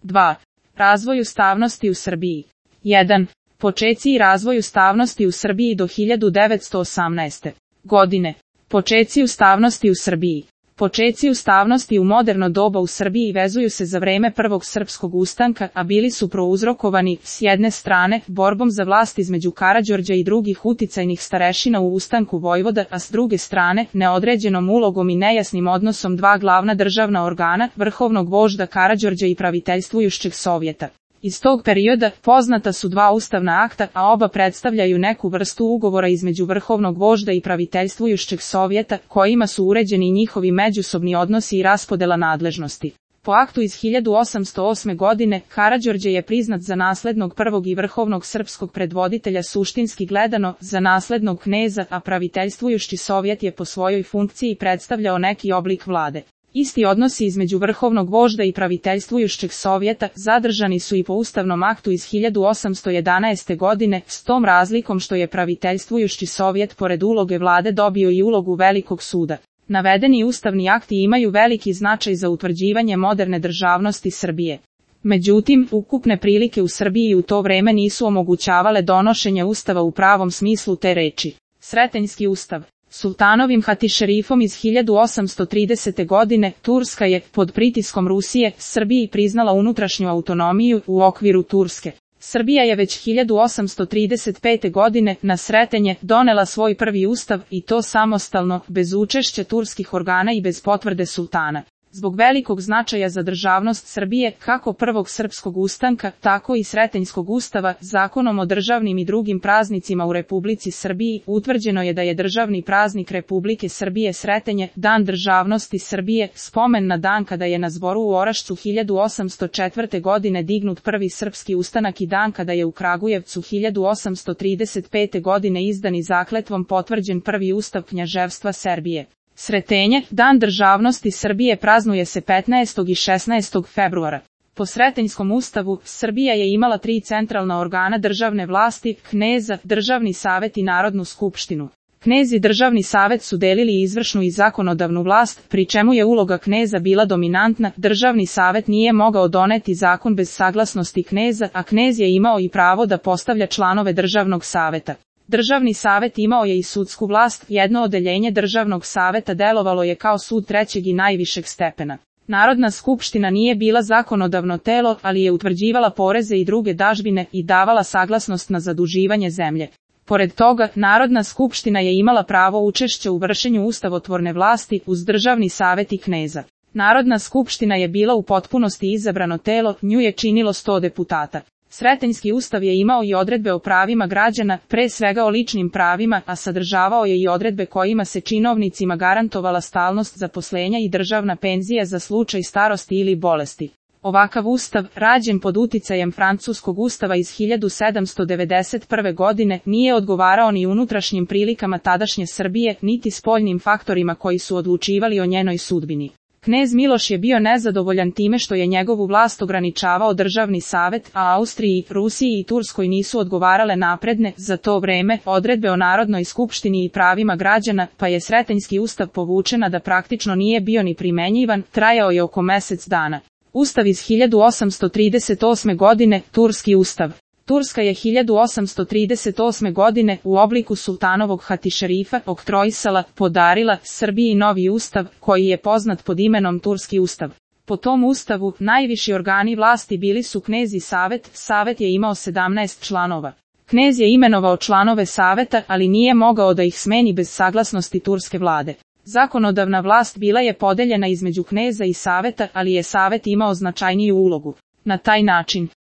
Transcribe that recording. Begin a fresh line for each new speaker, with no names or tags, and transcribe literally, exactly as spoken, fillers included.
dva. Razvoj ustavnosti u Srbiji. jedan. Počeci i razvoj ustavnosti u Srbiji do hiljadu devetsto osamnaeste. godine. Počeci ustavnosti u Srbiji. Počeci ustavnosti u moderno doba u Srbiji vezuju se za vreme prvog srpskog ustanka, a bili su prouzrokovani, s jedne strane, borbom za vlast između Karađorđa i drugih uticajnih starešina u ustanku Vojvoda, a s druge strane, neodređenom ulogom i nejasnim odnosom dva glavna državna organa, vrhovnog vožda Karađorđa i praviteljstvujušćeg Sovjeta. Iz tog perioda poznata su dva ustavna akta, a oba predstavljaju neku vrstu ugovora između vrhovnog vožda i praviteljstvujušćeg Sovjeta, kojima su uređeni njihovi međusobni odnosi i raspodela nadležnosti. Po aktu iz hiljadu osamsto osme. godine, Karađorđe je priznat za naslednog prvog i vrhovnog srpskog predvoditelja, suštinski gledano, za naslednog kneza, a praviteljstvujušći Sovjet je po svojoj funkciji predstavljao neki oblik vlade. Isti odnosi između vrhovnog vožda i praviteljstvujušćeg Sovjeta zadržani su i po ustavnom aktu iz hiljadu osamsto jedanaeste. godine, s tom razlikom što je praviteljstvujušći Sovjet pored uloge vlade dobio i ulogu velikog suda. Navedeni ustavni akti imaju veliki značaj za utvrđivanje moderne državnosti Srbije. Međutim, ukupne prilike u Srbiji u to vreme nisu omogućavale donošenje ustava u pravom smislu te reči. Sretenjski ustav. Sultanovim hatišerifom iz hiljadu osamsto tridesete. godine, Turska je, pod pritiskom Rusije, Srbiji priznala unutrašnju autonomiju u okviru Turske. Srbija je već hiljadu osamsto trideset pete. godine, na Sretenje, donela svoj prvi ustav, i to samostalno, bez učešća turskih organa i bez potvrde sultana. Zbog velikog značaja za državnost Srbije, kako prvog srpskog ustanka, tako i Sretenjskog ustava, zakonom o državnim i drugim praznicima u Republici Srbiji, utvrđeno je da je državni praznik Republike Srbije Sretenje, Dan državnosti Srbije, spomen na dan kada je na zboru u Orašcu hiljadu osamsto četvrte. godine dignut prvi srpski ustanak i dan kada je u Kragujevcu hiljadu osamsto trideset pete. godine izdan i zakletvom potvrđen prvi ustav Knjaževstva Serbije. Sretenje, Dan državnosti Srbije, praznuje se petnaestog i šesnaestog februara. Po Sretenjskom ustavu, Srbija je imala tri centralna organa državne vlasti, kneza, državni savet i Narodnu skupštinu. Knez i državni savet su delili izvršnu i zakonodavnu vlast, pri čemu je uloga kneza bila dominantna. Državni savet nije mogao doneti zakon bez saglasnosti kneza, a knez je imao i pravo da postavlja članove državnog saveta. Državni savet imao je i sudsku vlast, jedno odeljenje državnog saveta delovalo je kao sud trećeg i najvišeg stepena. Narodna skupština nije bila zakonodavno telo, ali je utvrđivala poreze i druge dažbine i davala saglasnost na zaduživanje zemlje. Pored toga, Narodna skupština je imala pravo učešća u vršenju ustavotvorne vlasti uz državni savet i kneza. Narodna skupština je bila u potpunosti izabrano telo, nju je činilo sto deputata. Sretenjski ustav je imao i odredbe o pravima građana, pre svega o ličnim pravima, a sadržavao je i odredbe kojima se činovnicima garantovala stalnost zaposlenja i državna penzija za slučaj starosti ili bolesti. Ovakav ustav, rađen pod uticajem francuskog ustava iz hiljadu sedamsto devedeset prve. godine, nije odgovarao ni unutrašnjim prilikama tadašnje Srbije, niti spoljnim faktorima koji su odlučivali o njenoj sudbini. Knez Miloš je bio nezadovoljan time što je njegovu vlast ograničavao državni savet, a Austriji, Rusiji i Turskoj nisu odgovarale napredne, za to vreme, odredbe o Narodnoj skupštini i pravima građana, pa je Sretenjski ustav povučena da praktično nije bio ni primenjivan, trajao je oko mesec dana. Ustav iz hiljadu osamsto trideset osme. godine, Turski ustav. Turska je hiljadu osamsto trideset osme. godine u obliku sultanovog hatišerifa oktroisala, podarila Srbiji novi ustav, koji je poznat pod imenom Turski ustav. Po tom ustavu, najviši organi vlasti bili su knez i savet, savet je imao sedamnaest članova. Knez je imenovao članove saveta, ali nije mogao da ih smeni bez saglasnosti turske vlade. Zakonodavna vlast bila je podeljena između kneza i saveta, ali je savet imao značajniju ulogu. Na taj način,